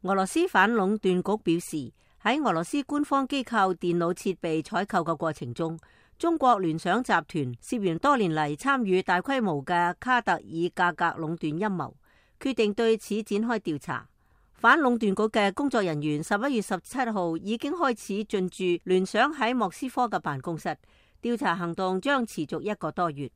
俄羅斯反壟斷局表示，喺俄羅斯官方機構電腦設備採購嘅過程中，中國聯想集團涉嫌多年嚟參與大規模嘅卡特爾價格壟斷陰謀，決定對此展開調查。反壟斷局嘅工作人員11月17號已經開始進駐聯想喺莫斯科嘅辦公室，調查行動將持續1個多月。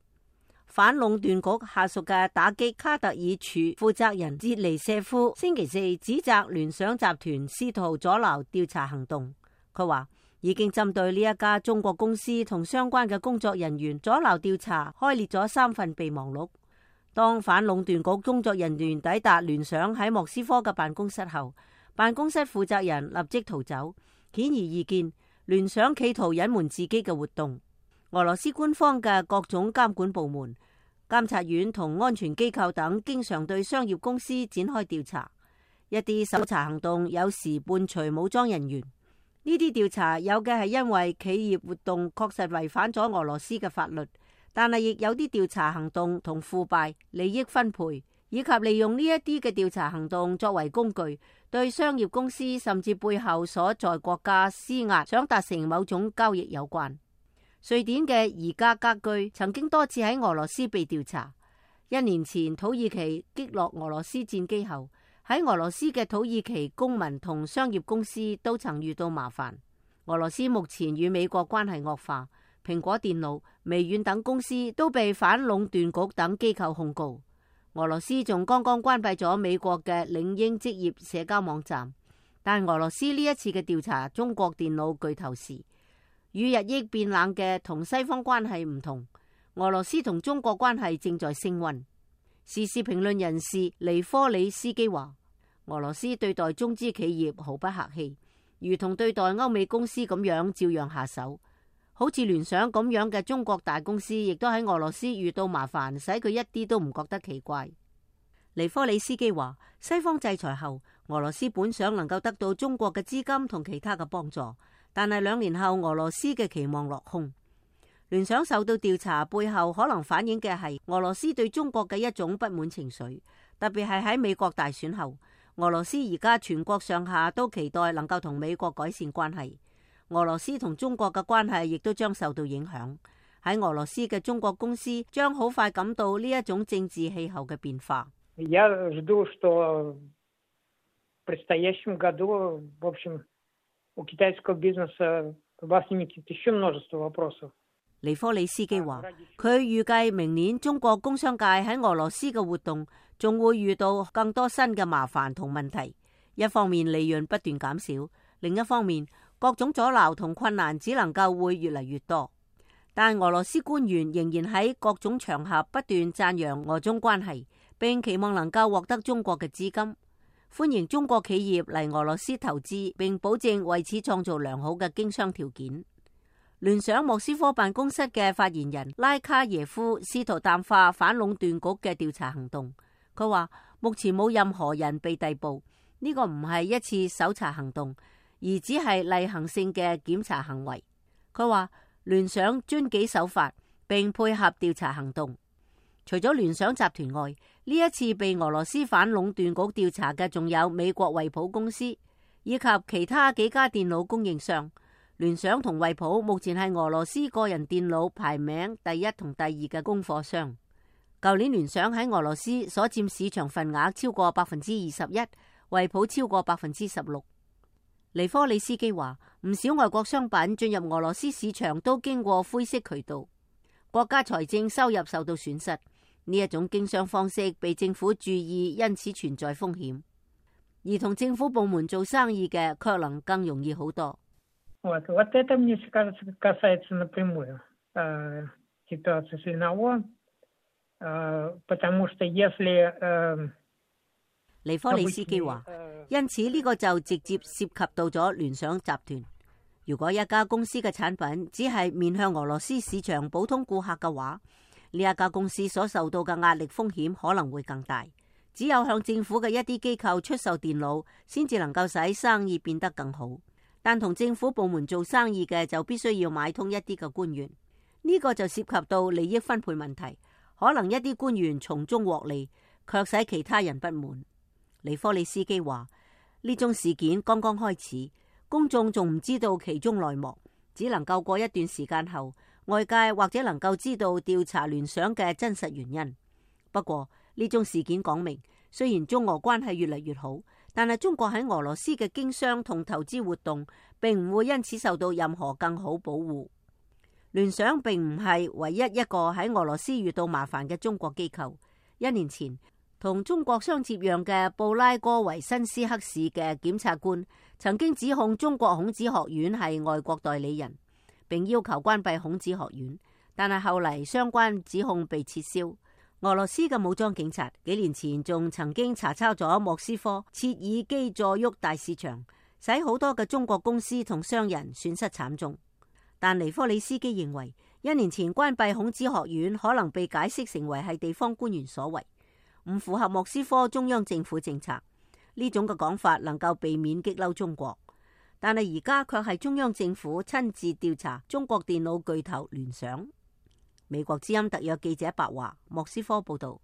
反壟斷局下屬嘅打擊卡特爾處負責人捷尼舍夫星期四指責聯想集團試圖阻撓調查行動。佢話已經針對呢一家中國公司同相關嘅工作人員阻撓調查開列咗3份備忘錄。當反壟斷局工作人員抵達聯想喺莫斯科嘅辦公室後，辦公室負責人立即逃走，顯而易見聯想企圖隱瞞自己嘅活動。俄羅斯官方嘅各種監管部門、監察院同安全機構等經常對商業公司展開調查，一啲搜查行動有時伴隨武裝人員。呢啲調查有嘅係因為企業活動確實違反咗俄羅斯嘅法律，但係亦有啲調查行動同腐敗、利益分配以及利用呢一啲嘅調查行動作為工具，對商業公司甚至背後所在國家施壓，想達成某種交易有關。瑞典嘅宜家家居曾經多次喺俄羅斯被調查。1年前土耳其擊落俄羅斯戰機後，喺俄羅斯嘅土耳其公民同商業公司都曾遇到麻煩。俄羅斯目前與美國關係惡化，蘋果電腦、微軟等公司都被反壟斷局等機構控告。俄羅斯仲剛剛關閉咗美國嘅領英職業社交網站。但俄羅斯呢一次嘅調查中國電腦巨頭時，與日益變冷嘅同西方關係唔同，俄羅斯同中國關係正在升溫。時事評論人士尼科里斯基話，俄羅斯對待中資企業毫不客氣，如同對待歐美公司咁樣照樣下手。好似聯想咁樣嘅中國大公司，亦都喺俄羅斯遇到麻煩，使佢一啲都唔覺得奇怪。尼科里斯基話，西方制裁後，俄羅斯本想能夠得到中國嘅資金同其他嘅幫助，但係2年後俄羅斯嘅期望落空。聯想受到調查背後可能反映嘅係俄羅斯對中國嘅一種不滿情緒，特別係喺美國大選後，俄羅斯而家全國上下都期待能夠同美國改善關係。俄羅斯同中國嘅關係亦都將受到影響。喺俄羅斯嘅中國公司將好快感到呢一種政治氣候嘅變化。Я жду, что в предстоящем году, в общем, у китайского бизнеса возникнет еще множество вопросов。尼科里斯基話，佢預計明年中國工商界喺俄羅斯嘅活動仲會遇到更多新嘅麻煩同問題。一方面利潤不斷減少，另一方面各種阻撓同困難只能夠會越嚟越多。但俄羅斯官員仍然喺各種場合不斷讚揚俄中關係，並期望能夠獲得中國嘅資金，歡迎中國企業嚟俄羅斯投資，並保證為此創造良好嘅經商條件。聯想莫斯科辦公室嘅發言人拉卡耶夫試圖淡化反壟斷局嘅調查行動。佢話目前冇任何人被逮捕，呢個唔係一次搜查行動，而只係例行性嘅檢查行為。佢話聯想遵紀守法並配合調查行動。除咗聯想集團外，呢一次被俄羅斯反壟斷局調查嘅仲有美國惠普公司以及其他幾家電腦供應商。聯想同惠普目前係俄羅斯個人電腦排名第1同第2嘅供貨商。舊年聯想喺俄羅斯所佔市場份額超過21%，惠普超過16%。尼科里斯基話，唔少外國商品進入俄羅斯市場都經過灰色渠道，國家財政收入受到損失。呢一種經商方式被政府注意，因此存在風險。而同政府部門做生意嘅卻能更容易好多。Вот это, мне кажется, касается напрямую ситуации с Lenovo, потому что если尼科里斯基話，因此呢個就直接涉及到咗聯想集團。如果一家公司嘅產品只係面向俄羅斯市場普通顧客嘅話，呢一家公司所受到嘅壓力風險可能會更大。只有向政府嘅一啲機構出售電腦，先至能夠使生意變得更好。但同政府部門做生意嘅就必須要買通一啲嘅官員，呢個就涉及到利益分配問題。可能一啲官員從中獲利，卻使其他人不滿。尼科里斯基話，呢宗事件剛剛開始，公眾仲唔知道其中內幕，只能夠過一段時間後，外界或者能夠知道調查聯想嘅真實原因。不過呢宗事件講明，雖然中俄關係越嚟越好，但係中國喺俄羅斯嘅經商同投資活動並唔會因此受到任何更好保護。聯想並唔係唯一一個喺俄羅斯遇到麻煩嘅中國機構。1年前，同中國相接壤嘅布拉戈維申斯克市嘅檢察官曾經指控中國孔子學院係外國代理人，並要求關閉孔子學院，但係後嚟相關指控被撤銷。俄羅斯嘅武裝警察幾年前仲曾經查抄咗莫斯科切爾基佐沃大市場，使好多嘅中國公司同商人損失慘重。但尼科里斯基認為，1年前關閉孔子學院可能被解釋成為係地方官員所為，唔符合莫斯科中央政府政策。呢種嘅講法能夠避免激嬲中國，但係而家卻係中央政府親自調查中國電腦巨頭聯想。美國之音特約記者白華，莫斯科報道。